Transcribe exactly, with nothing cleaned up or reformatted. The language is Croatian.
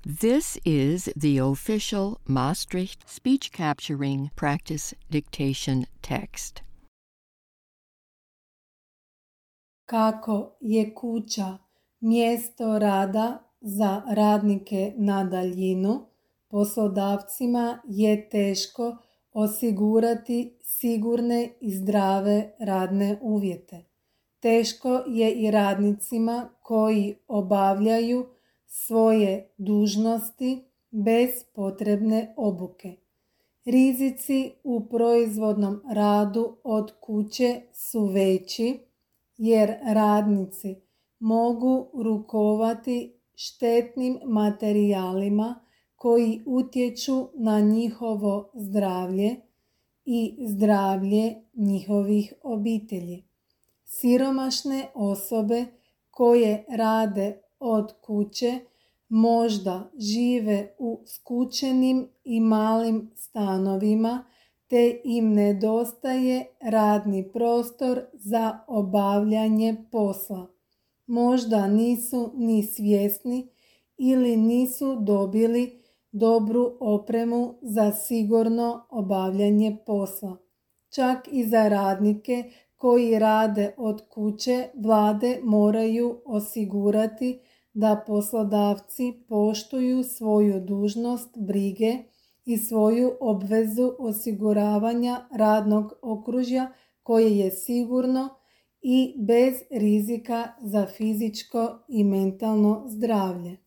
This is the official Maastricht speech capturing practice dictation text. Kako je kuća mjesto rada za radnike na daljinu, poslodavcima je teško osigurati sigurne i zdrave radne uvjete. Teško je i radnicima koji obavljaju svoje dužnosti bez potrebne obuke. Rizici u proizvodnom radu od kuće su veći jer radnici mogu rukovati štetnim materijalima koji utječu na njihovo zdravlje i zdravlje njihovih obitelji. Siromašne osobe koje rade od kuće možda žive u skučenim i malim stanovima te im nedostaje radni prostor za obavljanje posla. Možda nisu ni svjesni ili nisu dobili dobru opremu za sigurno obavljanje posla. Čak i za radnike koji rade od kuće, vlade moraju osigurati da poslodavci poštuju svoju dužnost brige i svoju obvezu osiguravanja radnog okružja koje je sigurno i bez rizika za fizičko i mentalno zdravlje.